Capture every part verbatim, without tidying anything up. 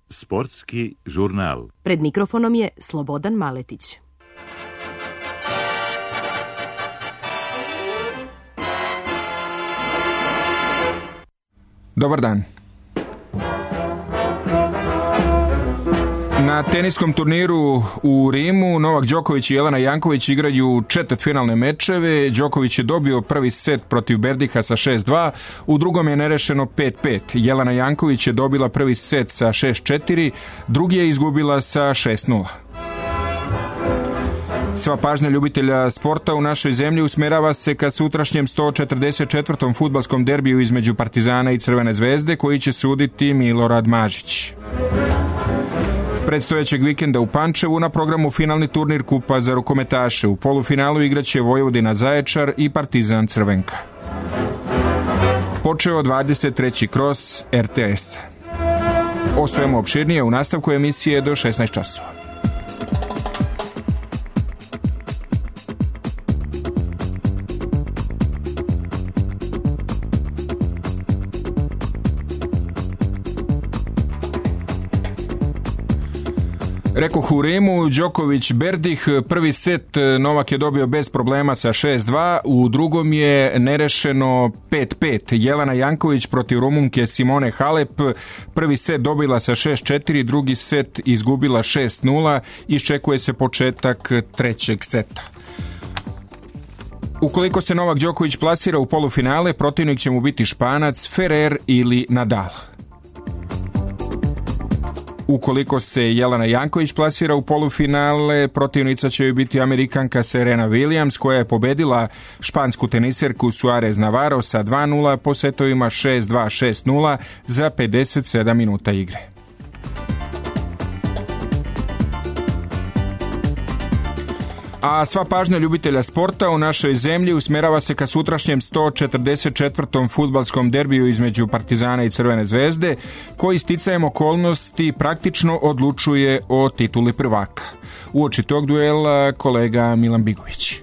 Sportski žurnal. Pred mikrofonom je Slobodan Maletić. Dobar dan. Na teniskom turniru u Rimu Novak Đoković i Jelena Janković igraju četvrtfinalne mečeve. Đoković je dobio prvi set protiv Berdiha sa šest dva, u drugom je nerešeno pet pet. Jelena Janković je dobila prvi set sa šest četiri, drugi je izgubila sa šest nula. Sva pažnja ljubitelja sporta u našoj zemlji usmerava se ka sutrašnjem sto četrdeset četvrtom fudbalskom derbiju između Partizana i Crvene zvezde, koji će suditi Milorad Mažić. Predstojećeg vikenda u Pančevu na programu finalni turnir kupa za rukometaše. U polufinalu igraće Vojvodina Zaječar i Partizan Crvenka. Počeo dvadeset treći kros er te es. O svemu opširnije u nastavku emisije do šesnaest časova. Rekoh u Rimu, Đoković Berdih, prvi set Novak je dobio bez problema sa šest dva, u drugom je nerešeno pet pet. Jelena Janković protiv Rumunke Simone Halep, prvi set dobila sa šest četiri, drugi set izgubila šest nula, iščekuje se početak trećeg seta. Ukoliko se Novak Đoković plasira u polufinale, protivnik će mu biti Španac, Ferrer ili Nadal. Ukoliko se Jelena Janković plasira u polufinale, protivnica će joj biti Amerikanka Serena Williams, koja je pobedila špansku teniserku Suarez Navarro sa dva nula po setovima šest dva šest nula za pedeset sedam minuta igre. A sva pažnja ljubitelja sporta u našoj zemlji usmerava se ka sutrašnjem sto četrdeset četvrtom fudbalskom derbiju između Partizana i Crvene zvezde, koji sticajem okolnosti praktično odlučuje o tituli prvaka. Uoči tog duela kolega Milan Bigović.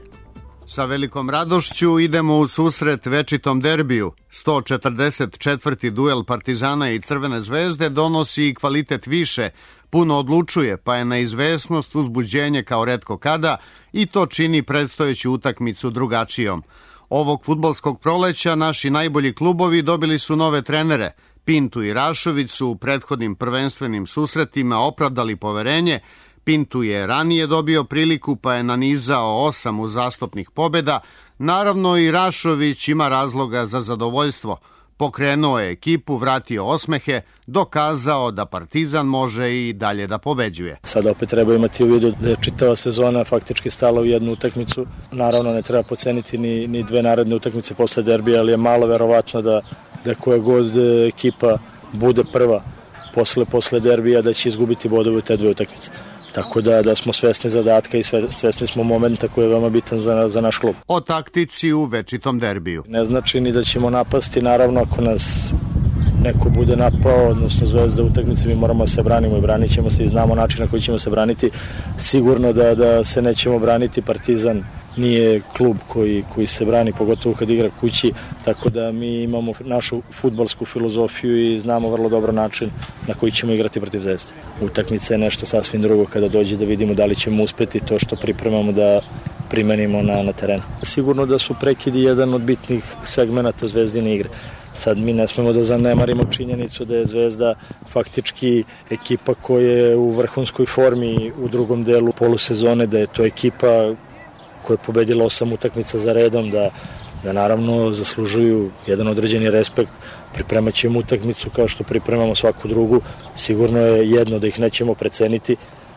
Sa velikom radošću idemo u susret večitom derbiju. sto četrdeset četvrti duel Partizana i Crvene zvezde donosi i kvalitet više, puno odlučuje, pa je neizvesnost uzbuđenje kao retko kada i to čini predstojeću utakmicu drugačijom. Ovog fudbalskog proleća naši najbolji klubovi dobili su nove trenere. Pintu i Rašović su u prethodnim prvenstvenim susretima opravdali poverenje. Pintu je ranije dobio priliku pa je nanizao osam uzastopnih pobjeda. Naravno i Rašović ima razloga za zadovoljstvo. Pokrenuo je ekipu, vratio osmehe, dokazao da Partizan može i dalje da pobeđuje. Sada opet treba imati u vidu da je čitava sezona faktički stala u jednu utakmicu. Naravno ne treba poceniti ni, ni dve naredne utakmice posle derbija, ali je malo verovatno da, da koja god ekipa bude prva posle, posle derbija da će izgubiti bodove u te dve utakmice. Tako da, da smo svesni zadatka i svesni smo momenta koji je veoma bitan za, za naš klub. O taktici u večitom derbiju. Ne znači ni da ćemo napasti, naravno ako nas neko bude napao, odnosno Zvezda u utakmici, mi moramo se branimo i branit ćemo se i znamo način na koji ćemo se braniti. Sigurno da, da se nećemo braniti, Partizan nije klub koji, koji se brani, pogotovo kad igra kući, tako da mi imamo našu fudbalsku filozofiju i znamo vrlo dobro način na koji ćemo igrati protiv Zvezde. Utakmica je nešto sasvim drugo kada dođe da vidimo da li ćemo uspeti to što pripremamo da primenimo na, na terenu. Sigurno da su prekidi jedan od bitnih segmenata Zvezdine igre. Sad mi ne smemo da zanemarimo činjenicu da je Zvezda faktički ekipa koja je u vrhunskoj formi u drugom delu polusezone, da je to ekipa koja je pobedila osam utakmica za redom, da, da naravno zaslužuju jedan određeni respekt. Pripremat ćemo utakmicu kao što pripremamo svaku drugu. Sigurno je jedno da ih nećemo preceniti,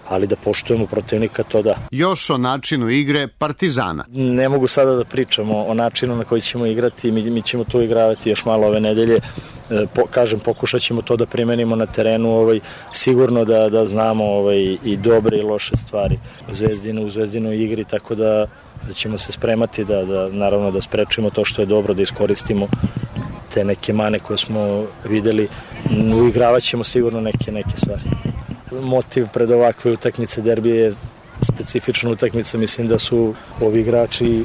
ali da poštujemo protivnika, to da. Još o načinu igre Partizana. Ne mogu sada da pričamo o načinu na koji ćemo igrati, mi, mi ćemo to igravati još malo ove nedelje. Po, kažem, pokušat ćemo to da primenimo na terenu, ovaj, sigurno da, da znamo ovaj, i dobre i loše stvari Zvezdinu, u Zvezdinoj igri, tako da, da ćemo se spremati da, da naravno da sprečimo to što je dobro, da iskoristimo te neke mane koje smo videli, uigravat ćemo sigurno neke, neke stvari. Motiv pred ovakve utakmice derbije je specifična utakmica, mislim da su ovi igrači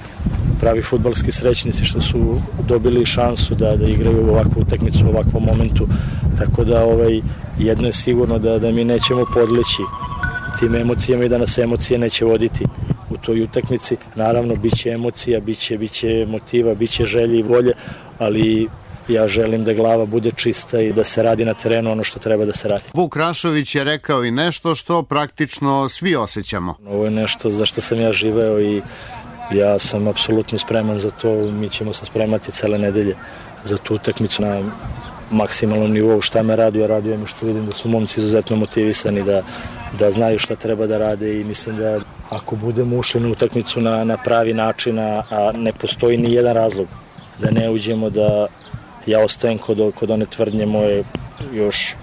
pravi fudbalski srećnici što su dobili šansu da, da igraju ovakvu utakmicu u ovakvom momentu. Tako da ovaj, jedno je sigurno da, da mi nećemo podleći tim emocijama i da nas emocije neće voditi u toj utakmici. Naravno, bit će emocija, bit će, bit će motiva, bit će želje i volje, ali ja želim da glava bude čista i da se radi na terenu ono što treba da se radi. Vuk Rašović je rekao i nešto što praktično svi osjećamo. Ovo je nešto za što sam ja živeo i ja sam apsolutno spreman za to. Mi ćemo se spremati cele nedelje za tu utakmicu na maksimalnom nivou. Šta me raduje, raduje me što vidim da su momci izuzetno motivisani, da, da znaju šta treba da rade i mislim da ako budemo ušli na utakmicu na, na pravi način, a, a ne postoji ni jedan razlog da ne uđemo, da ja ostajem kod, kod one tvrdnje moje još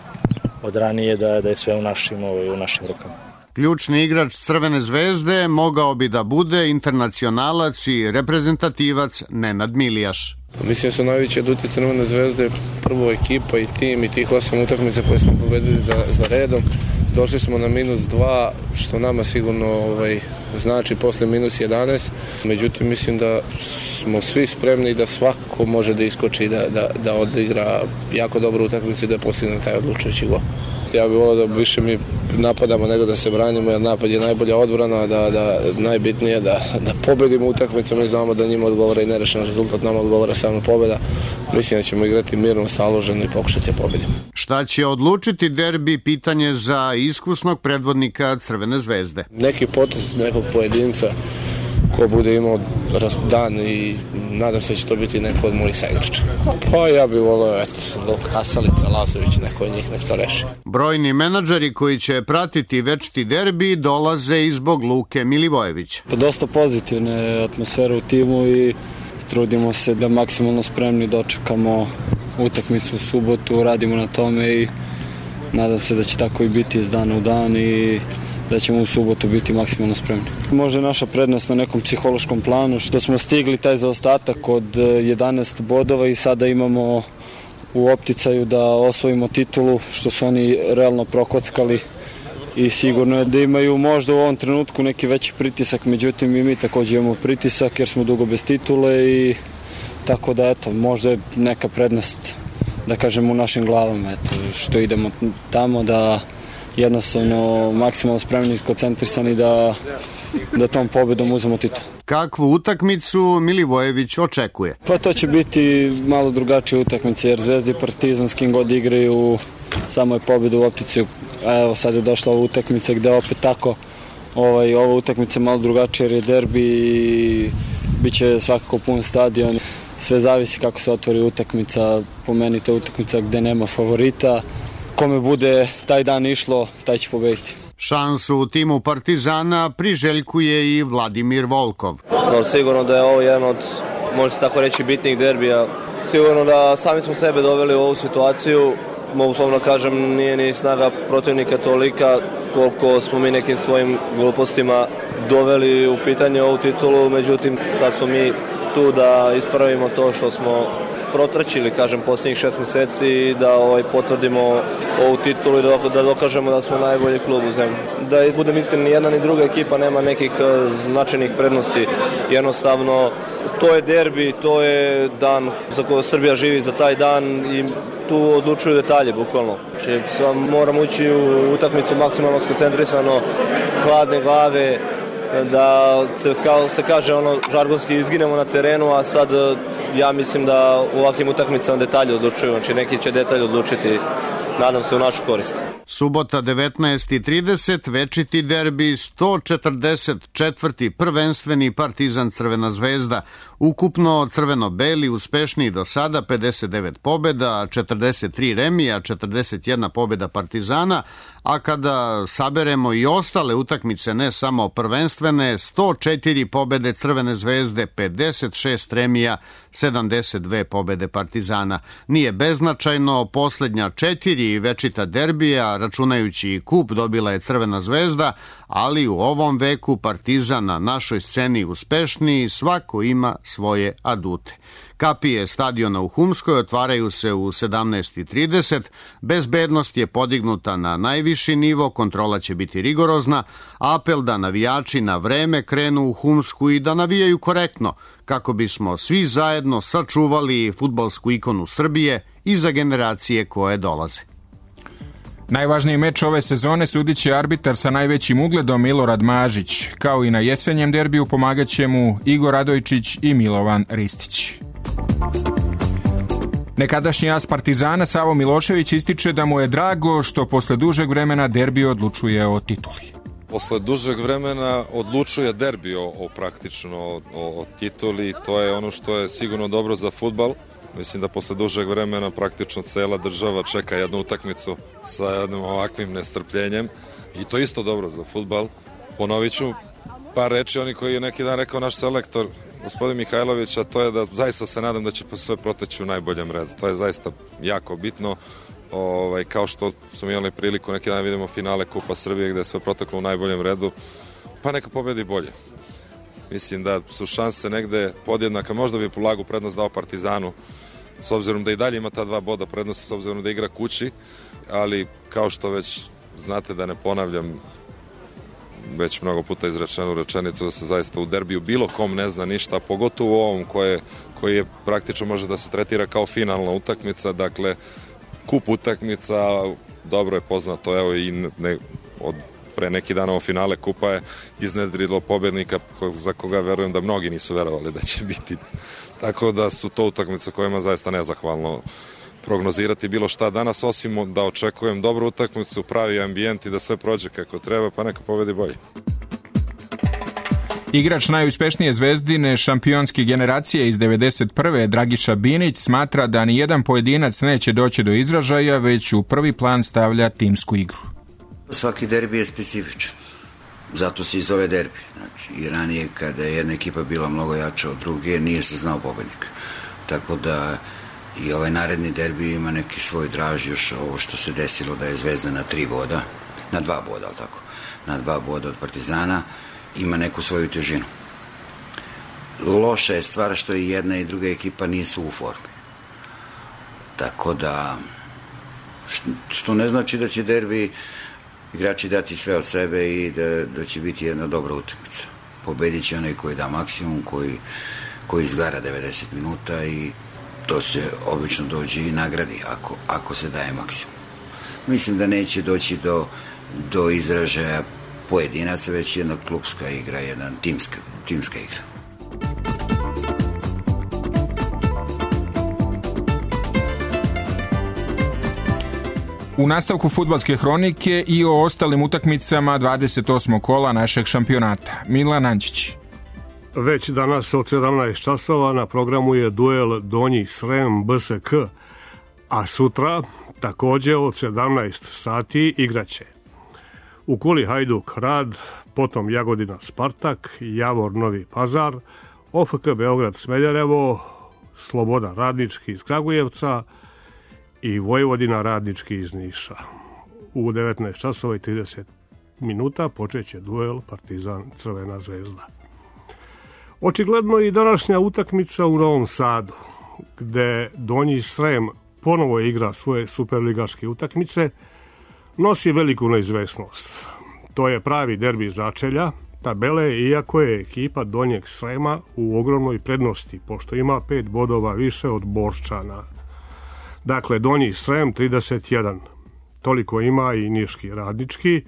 od ranije da, da je sve u našim, u našim rukama. Ključni igrač Crvene zvezde mogao bi da bude internacionalac i reprezentativac Nenad Milijaš. Mislim da su najveći aduti Crvene zvezde prvo ekipa i tim i tih osam utakmica koje smo pobedili za, za redom. Došli smo na minus dva, što nama sigurno ovaj, znači posle minus jedanaest. Međutim, mislim da smo svi spremni da svako može da iskoči, da, da, da odigra jako dobru utakmicu i da postigne taj odlučujući gol. Ja bih volio da više mi napadamo nego da se branimo, jer napad je najbolja odbrana, da, da najbitnije da, da pobedimo utakmicu. Mi znamo da njima odgovara i nerešen rezultat, nama odgovara samo pobeda. Mislim da ćemo igrati mirno, staloženo i pokušati da pobedimo. Šta će odlučiti derbi, pitanje za iskusnog predvodnika Crvene zvezde. Neki potez nekog pojedinca ko bude imao dan i nadam se da će to biti neko od mojih saigrača. Pa ja bih volio, eto, Kasalica, Lazović, neko od njih nek to reši. Brojni menadžeri koji će pratiti večiti derbi dolaze i zbog Luke Milivojevića. Pa dosta pozitivne atmosfere u timu i trudimo se da maksimalno spremni dočekamo utakmicu u subotu, radimo na tome i nadam se da će tako i biti iz dana u dan i da ćemo u subotu biti maksimalno spremni. Možda je naša prednost na nekom psihološkom planu što smo stigli taj zaostatak od jedanaest bodova i sada imamo u opticaju da osvojimo titulu, što su oni realno prokockali i sigurno je da imaju možda u ovom trenutku neki veći pritisak, međutim i mi također imamo pritisak jer smo dugo bez titule i tako da eto, možda je neka prednost da kažem u našim glavama, eto, što idemo tamo da jednostavno maksimalno spremni i koncentrisani da, da tom pobedom uzmemo titul. Kakvu utakmicu Milivojević očekuje? Pa to će biti malo drugačija utakmica jer Zvezda i Partizan s kim god igraju samo je pobeda u opticiju. A evo sad je došla ova utakmica gde opet tako ovaj, ova utakmica malo drugačija jer je derbi i bit će svakako pun stadion. Sve zavisi kako se otvori utakmica, po meni to je utakmica gde nema favorita. Kome bude taj dan išlo, taj će pobediti. Šansu u timu Partizana priželjkuje i Vladimir Volkov. No, sigurno da je ovo jedan od, može se tako reći, bitnih derbija. Sigurno da sami smo sebe doveli u ovu situaciju. Mogu slobodno kažem, nije ni snaga protivnika tolika koliko smo mi nekim svojim glupostima doveli u pitanje ovu titulu. Međutim, sad smo mi tu da ispravimo to što smo protračili, kažem, posljednjih šest mjeseci i da ovaj, potvrdimo ovu titulu i da, da dokažemo da smo najbolji klub u zemlji. Da budem iskren, ni jedna ni druga ekipa nema nekih uh, značajnih prednosti. Jednostavno, to je derbi, to je dan za koji Srbija živi za taj dan i tu odlučuju detalje, bukvalno. Znači, moramo ući u utakmicu maksimalno skoncentrisano, hladne glave, da se, kao se kaže, ono, žargonski izginemo na terenu, a sad ja mislim da u ovakvim utakmicama detalje odlučuju, znači neki će detalje odlučiti, nadam se, u našu korist. Subota devetnaest i trideset, večiti derbi, sto četrdeset četvrti prvenstveni Partizan Crvena zvezda. Ukupno crveno-beli uspešniji do sada, pedeset devet pobjeda, četrdeset tri remija, četrdeset jedna pobjeda Partizana, a kada saberemo i ostale utakmice, ne samo prvenstvene, sto četiri pobjede Crvene zvezde, pedeset šest remija, sedamdeset dve pobjede Partizana. Nije beznačajno, posljednja četiri večita derbija boda, računajući i kup, dobila je Crvena zvezda, ali u ovom veku Partizan na našoj sceni uspešniji, svako ima svoje adute. Kapije stadiona u Humskoj otvaraju se u sedamnaest i trideset, bezbednost je podignuta na najviši nivo, kontrola će biti rigorozna, apel da navijači na vreme krenu u Humsku i da navijaju korektno, kako bismo svi zajedno sačuvali fudbalsku ikonu Srbije i za generacije koje dolaze. Najvažniji meč ove sezone sudit će arbitar sa najvećim ugledom Milorad Mažić. Kao i na jesenjem derbiju pomagat će mu Igor Radojčić i Milovan Ristić. Nekadašnji as Partizana Savo Milošević ističe da mu je drago što posle dužeg vremena derbi odlučuje o tituli. Posle dužeg vremena odlučuje derbi o, o praktično o, o tituli, to je ono što je sigurno dobro za fudbal. Mislim da posle dužeg vremena praktično cela država čeka jednu utakmicu sa jednim ovakvim nestrpljenjem i to isto dobro za fudbal. Ponovit ću par reči, oni koji je neki dan rekao naš selektor, gospodin Mihajlović, a to je da zaista se nadam da će sve proteći u najboljem redu. To je zaista jako bitno. Ovaj, kao što smo imali priliku neki dan vidimo finale Kupa Srbije gde je sve proteklo u najboljem redu, pa neka pobedi bolje. Mislim da su šanse negde podjednaka, možda bi polagu prednost dao Partizanu, s obzirom da i dalje ima ta dva boda prednosti, s obzirom da igra kući, ali kao što već znate, da ne ponavljam već mnogo puta izrečenu rečenicu, da se zaista u derbiju bilo kom ne zna ništa, pogotovo u ovom koje, koji je praktično može da se tretira kao finalna utakmica, dakle kup utakmica, dobro je poznato, evo i ne, od pre neki dan ovo finale kupa je iznedrilo pobednika za koga verujem da mnogi nisu verovali da će biti. Tako da su to utakmice kojima zaista nezahvalno prognozirati bilo šta danas, osim da očekujem dobru utakmicu, pravi ambijent i da sve prođe kako treba, pa neka pobedi bolje. Igrač najuspešnije Zvezdine šampionske generacije iz devedeset prve Dragiša Binić smatra da ni jedan pojedinac neće doći do izražaja, već u prvi plan stavlja timsku igru. Svaki derbi je specifičan, zato se i zove derbi. Znači, i ranije kada je jedna ekipa bila mnogo jača od druge, nije se znao pobednik. Tako da i ovaj naredni derbi ima neki svoj draž, još ovo što se desilo da je Zvezda na tri boda, na dva boda, ali tako, na dva boda od Partizana, ima neku svoju težinu. Loša je stvar što i jedna i druga ekipa nisu u formi. Tako da, što ne znači da će derbi igrači dati sve od sebe i da, da će biti jedna dobra utakmica. Pobedit će onaj koji da maksimum, koji, koji izgara devedeset minuta i to se obično dođe i nagradi ako, ako se daje maksimum. Mislim da neće doći do, do izražaja pojedinaca, već jedna klubska igra, jedna timska, timska igra. U nastavku fudbalske hronike i o ostalim utakmicama dvadeset osmog kola našeg šampionata. Milan Anđić. Već danas od sedamnaest časova na programu je duel Donji Srem B S K, a sutra takođe od sedamnaest sati igraće u Kuli Hajduk Rad, potom Jagodina Spartak, Javor Novi Pazar, O F K Beograd Smederevo, Sloboda Radnički iz Kragujevca i Vojvodina Radnički iz Niša. U devetnaest časova i trideset minuta počeće duel Partizan Crvena zvezda. Očigledno i današnja utakmica u Novom Sadu, gde Donji Srem ponovo igra svoje superligaške utakmice, nosi veliku neizvesnost. To je pravi derbi začelja tabele, iako je ekipa Donjeg Srema u ogromnoj prednosti, pošto ima pet bodova više od Borčana. Dakle, Donji Srem trideset jedan, toliko ima i Niški Radnički,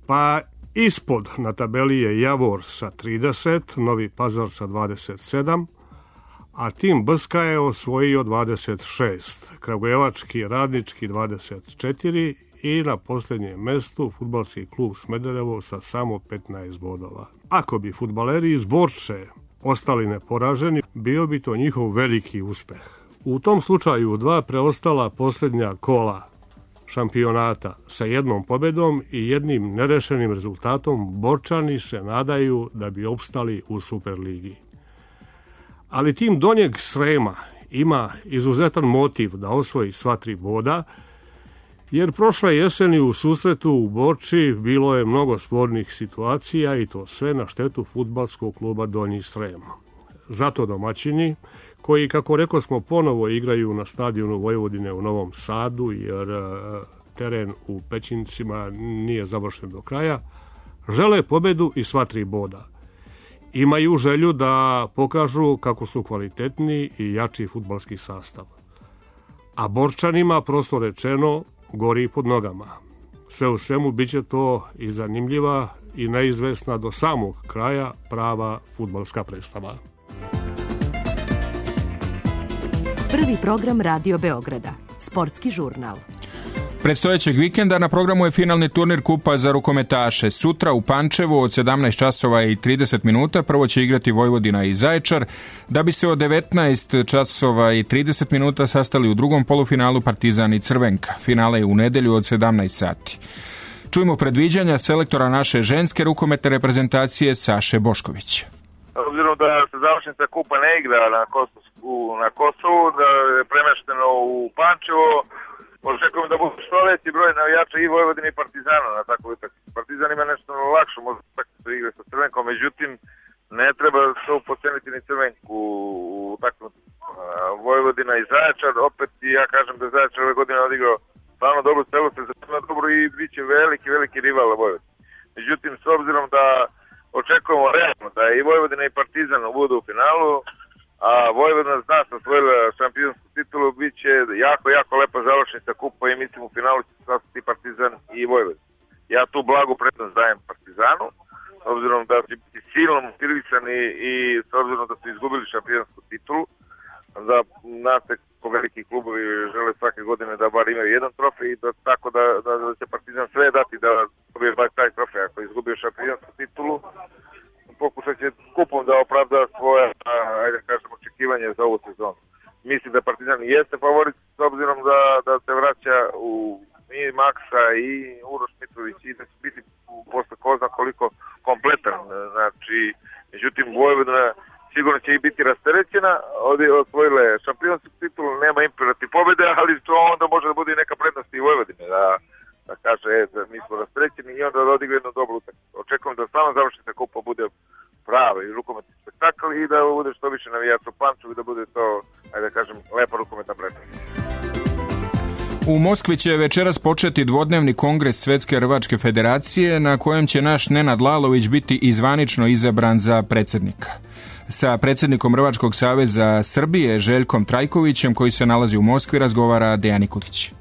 pa ispod na tabeli je Javor sa trideset, Novi Pazar sa dvadeset sedam, a tim Brska je osvojio dvadeset šest, Kragujevački Radnički dvadeset četiri i na posljednjem mestu fudbalski klub Smederevo sa samo petnaest bodova. Ako bi fudbaleri iz Borče ostali neporaženi, bio bi to njihov veliki uspeh. U tom slučaju dva preostala posljednja kola šampionata sa jednom pobedom i jednim nerešenim rezultatom Borčani se nadaju da bi opstali u Superligi. Ali tim Donjeg Srema ima izuzetan motiv da osvoji sva tri boda Jer prošle jeseni u susretu u Borči bilo je mnogo spornih situacija i to sve na štetu fudbalskog kluba Donji Srem. Zato domaćini, koji, kako rekao smo, ponovo igraju na stadionu Vojvodine u Novom Sadu, jer teren u Pećincima nije završen do kraja, žele pobedu i sva tri boda. Imaju želju da pokažu kako su kvalitetni i jači fudbalski sastav. A Borčanima, prosto rečeno, gori pod nogama. Sve u svemu biće to i zanimljiva i neizvesna do samog kraja prava fudbalska predstava. Prvi program Radio Beograda, sportski žurnal. Predstojećeg vikenda na programu je finalni turnir kupa za rukometaše. Sutra u Pančevu od sedamnaest časova i trideset minuta prvo će igrati Vojvodina i Zaječar, da bi se od devetnaest časova i trideset minuta sastali u drugom polufinalu Partizan i Crvenka. Finale je u nedelju od sedamnaest sati. Čujemo predviđanja selektora naše ženske rukometne reprezentacije Saše Boškovića. Obzirom da se završnica kupa ne igra na Kosovu, na Kosovu, da je premešteno u Pančevo, očekujem da bude što veći broj navijača i Vojvodine i Partizana na takvu utakmicu. Partizan ima nešto lakše, možda utakmicu igre sa Crvenkom, međutim ne treba se upoceniti ni Crvenku u takvu Vojvodina i Zaječar. Opet i ja kažem da Zaječar ove godine odigrao stvarno dobro celu sezonu, dobro i bit će veliki, veliki rival Vojvodina. Međutim, s obzirom da očekujemo realno da i Vojvodina i Partizan budu u finalu, a Vojvodina zna se osvojila šampionsku titulu, bit će jako, jako lepa završnica kupa i mislim u finalu će se sastati Partizan i Vojvodina. Ja tu blagu prednost dajem Partizanu, s obzirom da će biti silno motivisani i s obzirom da su izgubili šampionsku titulu, da znate ko veliki klubovi žele svake godine da bar imaju jedan trofej, da, tako da, da, da će Partizan sve dati da dobije bar taj trofej. Ako izgubio šampionsku titulu, pokušat će kupom da opravda svoje, ajde kažem, očekivanje za ovu sezonu. Mislim da Partizan jeste favorit s obzirom da, da se vraća u i Maksa i Uroš Mitrović i da će biti posle ko zna koliko kompletan. Znači, međutim, Vojvodina sigurno će i biti rasterećena, osvojile šampionsku titulu, nema imperativ pobjede, ali to onda može da bude i neka prednost i Vojvodine, da, da kaže, e, da mi smo rasterećeni i onda da odigra jednu dobru utakmicu. Očekujem da stvarno završnica kupa bude prava i rukometni spektakl i da bude što više navijača u Pančevu i da bude to, ajde da kažem, lepa rukometna prednost. U Moskvi će večeras početi dvodnevni kongres Svetske rvačke federacije na kojem će naš Nenad Lalović biti i zvanično izabran za predsjednika. Sa predsjednikom Rvačkog saveza Srbije Željkom Trajkovićem, koji se nalazi u Moskvi, razgovara Dejan Nikolić.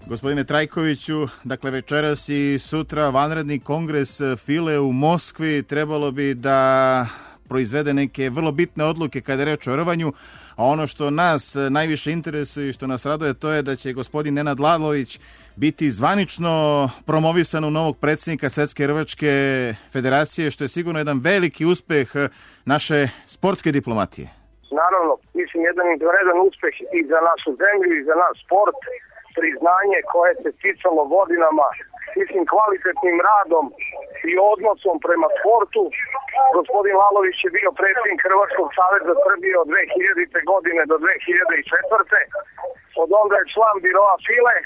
Gospodine Trajkoviću, dakle večeras i sutra vanredni kongres File u Moskvi trebalo bi da proizvede neke vrlo bitne odluke kada je reč o rvanju, a ono što nas najviše interesuje i što nas raduje to je da će gospodin Nenad Lalović biti zvanično promovisan u novog predsjednika Svetske rvačke federacije, što je sigurno jedan veliki uspeh naše sportske diplomatije. Naravno, mislim jedan izvanredan uspeh i za našu zemlju i za naš sport, priznanje koje se sticalo godinama, mislim kvalitetnim radom i odnosom prema sportu. Gospodin Lalović je bio predsjednik Hrvatskog saveza Srbije od dve hiljadite. godine do dve hiljade četvrte. Od onda je član biroa File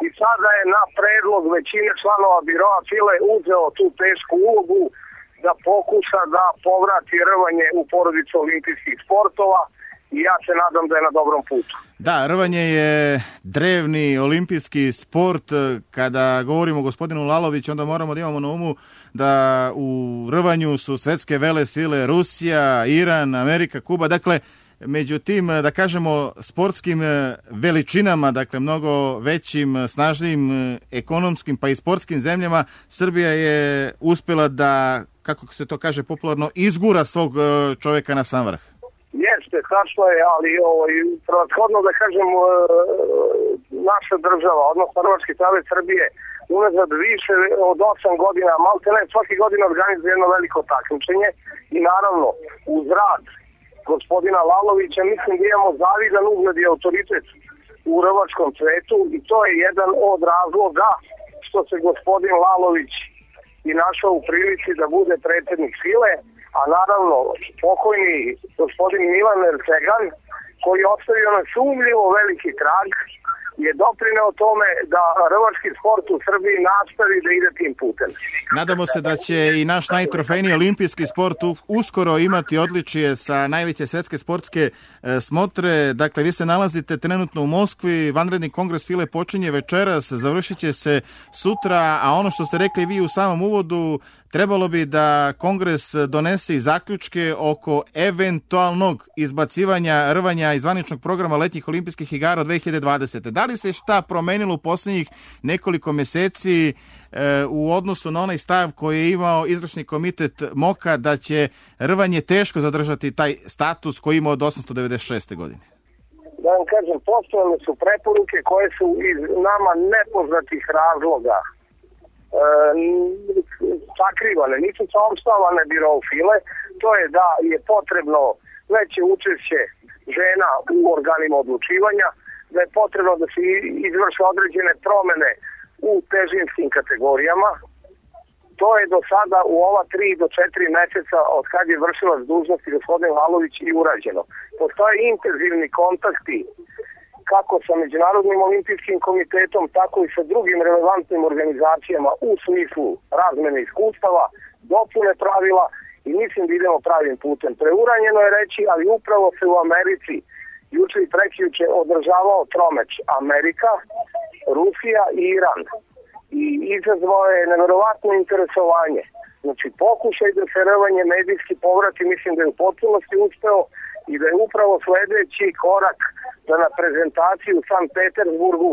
i sada je na predlog većine članova biroa File uzeo tu tešku ulogu da pokuša da povrati rvanje u porodicu olimpijskih sportova i ja se nadam da je na dobrom putu. Da, rvanje je drevni olimpijski sport. Kada govorimo o gospodinu Laloviću, onda moramo da imamo na umu da u rvanju su svetske vele sile Rusija, Iran, Amerika, Kuba. Dakle, među tim, da kažemo, sportskim veličinama, dakle, mnogo većim, snažnijim ekonomskim pa i sportskim zemljama, Srbija je uspjela da, kako se to kaže popularno, izgura svog čovjeka na sam vrh. Jeste, tačno je, ali ovaj, prethodno da kažem, naša država, odnosno Hrvatski savez Srbije, unazad više od osam godina, malte ne, svake godine organizuje jedno veliko takmičenje i naravno, uz rad gospodina Lalovića, mislim da imamo zavidan ugled i autoritet u rvačkom svetu i to je jedan od razloga što se gospodin Lalović i našao u prilici da bude predsjednik File, a naravno pokojni gospodin Milan Ercegan, koji je ostavio nesumnjivo veliki trag je doprineo tome da rvački sport u Srbiji nastavi da ide tim putem. Nadamo se da će i naš najtrofejniji olimpijski sport uskoro imati odličije sa najveće svetske sportske smotre. Dakle, vi se nalazite trenutno u Moskvi, vanredni kongres File počinje večeras, završit će se sutra, a ono što ste rekli vi u samom uvodu, trebalo bi da kongres donese i zaključke oko eventualnog izbacivanja rvanja iz zvaničnog programa letnjih olimpijskih igara od dve hiljade dvadesete. Da li se šta promenilo u posljednjih nekoliko meseci e, u odnosu na onaj stav koji je imao izvršni komitet MOKA da će rvanje teško zadržati taj status koji ima od osamsto devedeset šeste. godine? Da vam kažem, postojale su preporuke koje su iz nama nepoznatih razloga e, sakrivane, nisu saopštavane birovu File. To je da je potrebno veće učešće žena u organima odlučivanja, da je potrebno da se izvrše određene promene u težinskim kategorijama. To je do sada u ova tri do četiri meseca od kad je vršilac dužnosti gospodin Lalović i urađeno. Postoje intenzivni kontakti kako sa Međunarodnim olimpijskim komitetom, tako i sa drugim relevantnim organizacijama u smislu razmene iskustava, dopune pravila i mislim da idemo pravim putem. Preuranjeno je reći, ali upravo se u Americi juče i prekjuče održavao tromeč Amerika, Rusija i Iran. I izazvao je neverovatno interesovanje. Znači, pokušaj da se rvanje medijski povrati, mislim da je u potpunosti uspeo i da je upravo sledeći korak da na prezentaciju u Sankt Petersburgu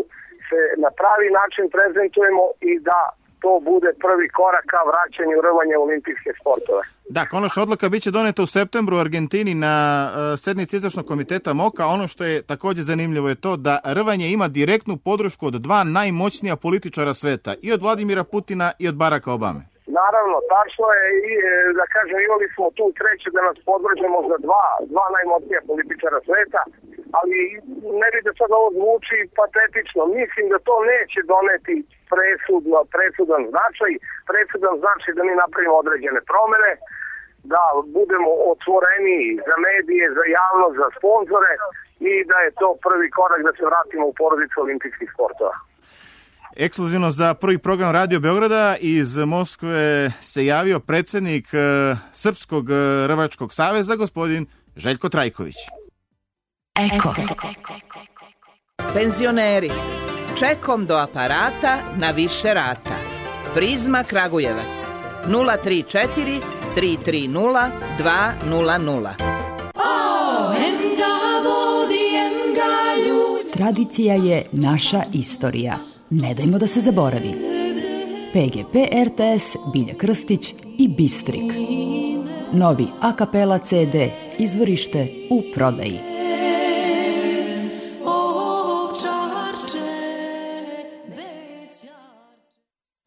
se na pravi način prezentujemo i da to bude prvi korak ka vraćanju rvanja u olimpijske sportove. Da, konačna odluka biće doneta u septembru u Argentini na uh, sednici izvršnog komiteta MOKA. Ono što je također zanimljivo je to da rvanje ima direktnu podršku od dva najmoćnija političara sveta, i od Vladimira Putina i od Baracka Obame. Naravno, tačno je i, da kažem, imali smo tu treće da nas podvrže možda dva, dva najmoćnija političara sveta, ali ne bi da sad ovo zvuči patetično. Mislim da to neće doneti presudno, presudan značaj, presudan značaj da mi napravimo određene promene, da budemo otvoreniji za medije, za javnost, za sponzore i da je to prvi korak da se vratimo u porodicu olimpijskih sportova. Ekskluzivno za prvi program Radio Beograda iz Moskve se javio predsjednik Srpskog rvačkog saveza, gospodin Željko Trajković. Eko. Penzioneri, čekom do aparata na više rata. Prizma Kragujevac nula tri četiri tri tri nula dva nula nula. Tradicija je naša istorija. Ne dajmo da se zaboravi. P G P R T S, Bilja Krstić i Bistrik. Novi a kapela C D, izvorište u prodaji.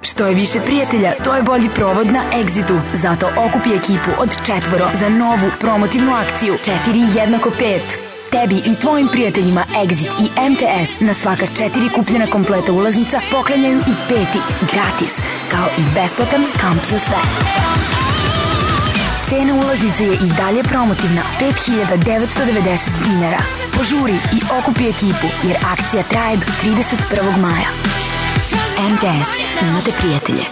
Što je više prijatelja, to je bolji provod na Exitu. Zato okupi ekipu od četvoro za novu promotivnu akciju četiri jednako pet. Tebi i tvojim prijateljima Exit i M T S na svaka četiri kupljena kompleta ulaznica poklanjaju i peti gratis, kao i besplatan kamp za sve. Cena ulaznice je i dalje promotivna, pet hiljada devetsto devedeset dinara. Požuri i okupi ekipu, jer akcija traje do trideset prvog maja. M T S, imate prijatelje.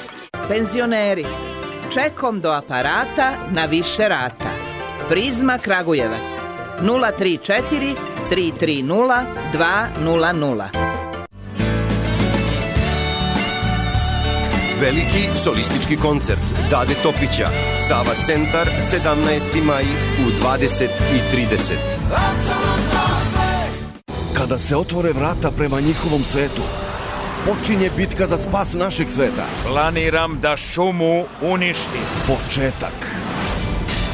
Penzioneri, čekom do aparata na više rata. Prizma Kragujevac nula tri četiri tri tri nula dva nula nula. Veliki solistički koncert Dade Topića, Sava centar, sedamnaesti maj u dvadeset i trideset. Kada se otvore vrata prema njihovom svetu, počinje bitka za spas našeg sveta. Planiram da šumu uništim. Početak.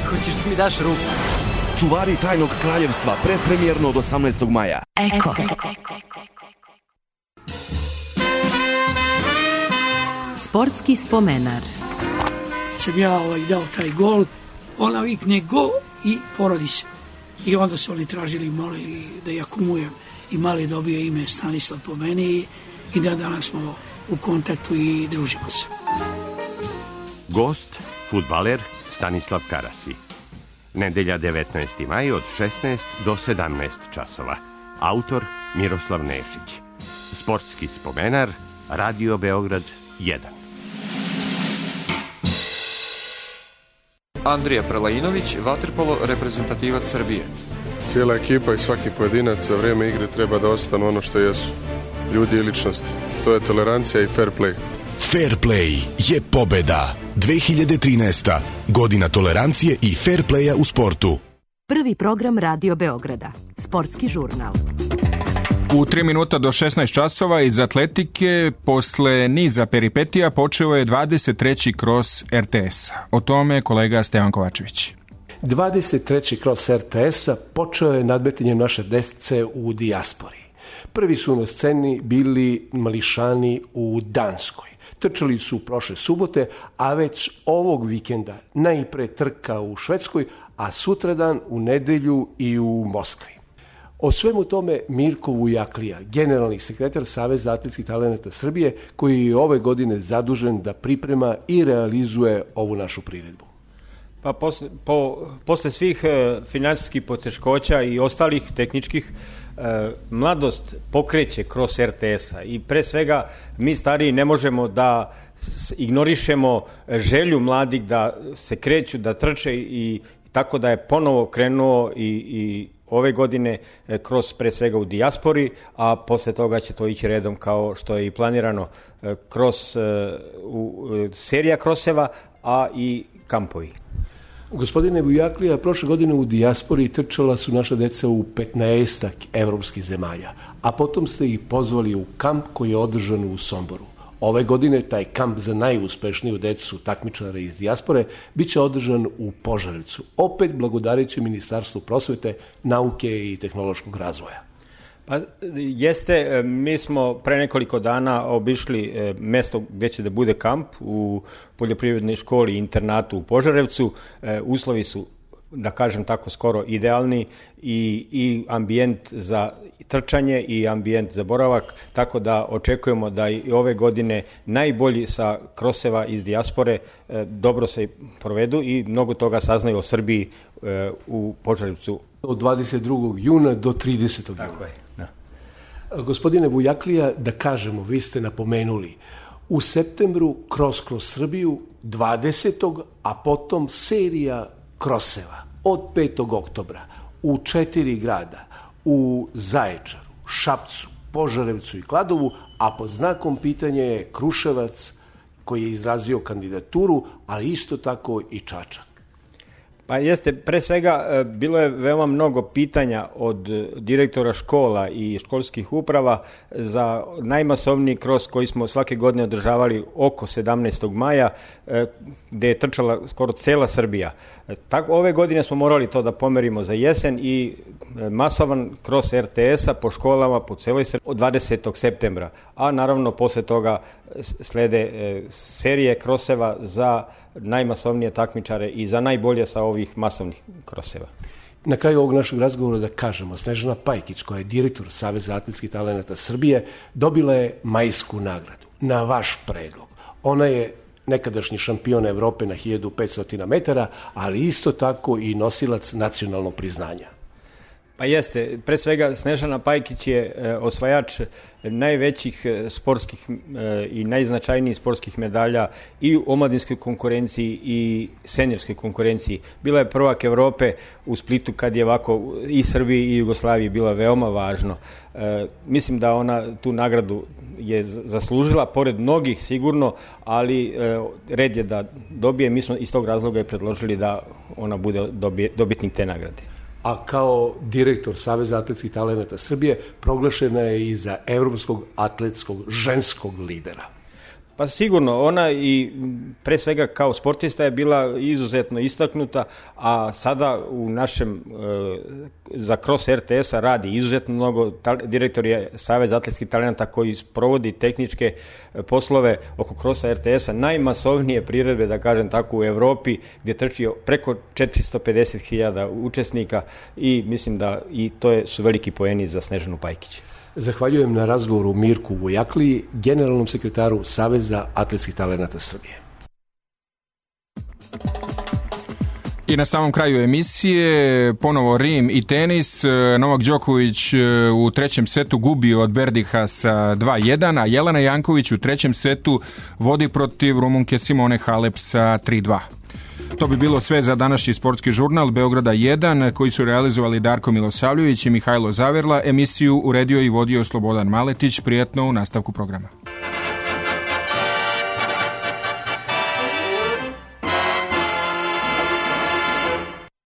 Hoćeš da mi daš ruku? Čuvari tajnog kraljevstva, predpremjerno od osamnaestog maja. Eko. Sportski spomenar. Sam ja ovaj dao taj gol, ona vikne go i porodi se. I onda su oni tražili, molili da ja kumujem i mali dobio ime Stanislav po meni i da danas smo u kontaktu i družimo se. Gost, fudbaler Stanislav Karasi. Nedelja devetnaesti maj od šesnaest do sedamnaest časova. Autor Miroslav Nešić. Sportski spomenar, Radio Beograd jedan. Andrija Prelajinović, vaterpolo reprezentativac Srbije. Cijela ekipa i svaki pojedinac za vrijeme igre treba da ostanu ono što jesu. Ljudi i ličnosti. To je tolerancija i fair play. Fair play je pobeda. dve hiljade trinaesta. Godina tolerancije i fair playa u sportu. Prvi program Radio Beograda. Sportski žurnal. U tri minuta do šesnaest časova iz atletike, posle niza peripetija, počeo je dvadeset treći kros er te es. O tome kolega Stevan Kovačević. dvadeset treći kros er te es-a počeo je nadmetanjem naše desice u dijaspori. Prvi su na sceni bili mališani u Danskoj. Trčali su prošle subote, a već ovog vikenda najpre trka u Švedskoj, a sutradan u nedelju i u Moskvi. O svemu tome Mirko Vujaklija, generalni sekretar Saveza atletskih talenata Srbije, koji je ove godine zadužen da priprema i realizuje ovu našu priredbu. Pa posle, po, posle svih e, finansijskih poteškoća i ostalih tehničkih, e, mladost pokreće kroz er te es-a i pre svega mi stariji ne možemo da ignorišemo želju mladih da se kreću, da trče i tako da je ponovo krenuo i, i ove godine kroz pre svega u dijaspori, a posle toga će to ići redom kao što je i planirano kroz u, serija kroseva, a i kampovi. Gospodine Vujaklija, prošle godine u dijaspori trčala su naša deca u petnaestak evropskih zemalja, a potom ste ih pozvali u kamp koji je održan u Somboru. Ove godine taj kamp za najuspešniju decu takmičara iz dijaspore biće održan u Požarevcu, opet blagodareći Ministarstvu prosvete, nauke i tehnološkog razvoja. Pa jeste, mi smo pre nekoliko dana obišli mesto gde će da bude kamp u poljoprivrednoj školi i internatu u Požarevcu. Uslovi su, da kažem tako, skoro idealni i, i ambijent za trčanje i ambijent za boravak, tako da očekujemo da i ove godine najbolji sa kroseva iz dijaspore e, dobro se provedu i mnogo toga saznaju o Srbiji e, u Požarevcu. Od dvadeset drugog juna do tridesetog juna. Tako je, da. Gospodine Vujaklija, da kažemo, vi ste napomenuli, u septembru Kros kroz Srbiju dvadesetog a potom serija kroseva od petog oktobra u četiri grada, u Zaječaru, Šapcu, Požarevcu i Kladovu, a pod znakom pitanja je Kruševac koji je izrazio kandidaturu, ali isto tako i Čačak. Pa jeste, pre svega bilo je veoma mnogo pitanja od direktora škola i školskih uprava za najmasovniji kros koji smo svake godine održavali oko sedamnaestog maja, gde je trčala skoro cela Srbija. Tako, ove godine smo morali to da pomerimo za jesen i masovan kros er te es-a po školama po celoj Srbiji od dvadesetog septembra, a naravno posle toga slede serije kroseva za najmasovnije takmičare i za najbolje sa ovih masovnih kroseva. Na kraju ovog našeg razgovora da kažemo, Snežana Pajkić, koja je direktor Saveza atletskih talenata Srbije, dobila je majsku nagradu na vaš predlog. Ona je nekadašnji šampion Evrope na hiljadu petsto metara, ali isto tako i nosilac nacionalnog priznanja. Pa jeste, pre svega Snežana Pajkić je e, osvajač najvećih e, sportskih e, i najznačajnijih sportskih medalja i u omladinskoj konkurenciji i seniorskoj konkurenciji. Bila je prvak Evrope u Splitu kad je ovako i Srbiji i Jugoslaviji bila veoma važno. E, mislim da ona tu nagradu je zaslužila, pored mnogih sigurno, ali e, red je da dobije. Mi smo iz tog razloga je predložili da ona bude dobije, dobitnik te nagrade. A kao direktor Saveza atletskih talenata Srbije proglašena je i za evropskog atletskog ženskog lidera. Pa sigurno, ona i pre svega kao sportista je bila izuzetno istaknuta, a sada u našem, e, za Kros er te es-a radi izuzetno mnogo, direktor je Savez atletskih talenata koji provodi tehničke poslove oko Krosa er te es-a, najmasovnije priredbe, da kažem tako, u Evropi, gdje trči preko četiristo pedeset hiljada učesnika i mislim da i to je, su veliki poeni za Snežanu Pajkić. Zahvaljujem na razgovoru Mirku Vujakliji, generalnom sekretaru Saveza atletskih talenata Srbije. I na samom kraju emisije ponovo Rim i tenis. Novak Đoković u trećem setu gubio od Berdiha sa dva jedan, a Jelena Janković u trećem setu vodi protiv Rumunke Simone Halep sa tri dva. To bi bilo sve za današnji sportski žurnal Beograda jedan, koji su realizovali Darko Milosavljević i Mihajlo Zaverla. Emisiju uredio i vodio Slobodan Maletić. Prijetno u nastavku programa.